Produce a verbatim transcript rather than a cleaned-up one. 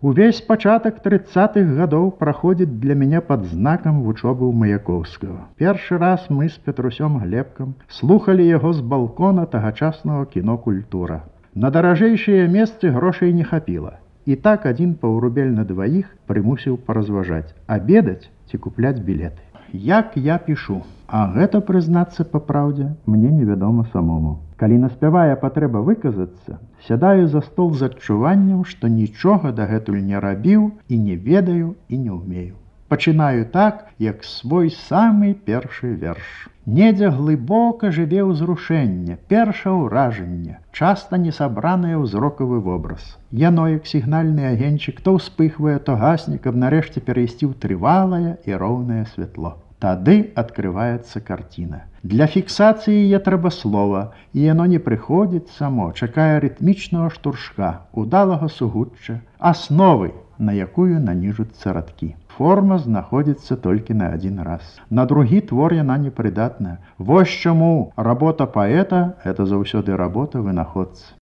Увесь пачатак тридцатых гадоў праходзіць для мяне пад знакам вучобы ў Маяковскага. Першы раз мы з Петрусём Глебкам слухалі яго з балкона тагачаснага кіно «Культура». На даражэйшыя месцы грошай не хапіла. І так адзін паўрубель на дваіх прымусіў паразважаць, абедаць ці купляць білеты. Як я пішу, а гэта, прызнацца па праўдзе, мне невядома самому. Калі наспявае патрэба выказацца, сядаю за стол з адчуваннем, што нічога дагэтуль не рабіў і не ведаю і не ўмею. Пачынаю так, як свой самы першы верш. Недзе глыбока жыве ўзрушэнне, перша ўражанне, часта несабранае ўзрокавы вобраз. Яно, як сігнальны агеньчык, то ўспыхвае, то гасне, каб нарэшце перайсці ў трывалае і роўнае святло. Тады адкрываецца карціна. Для фіксацыі я трэба слова, і яно не прыходзіць само, чакае рытмічнага штуршка, удалага сугучча, асновы, на якую наніжуцца радкі. Форма знаходзіцца толькі на адзін раз. На другі твор яна непрыдатная. Вось чаму работа паэта – это заўсёды работа вынаходцы.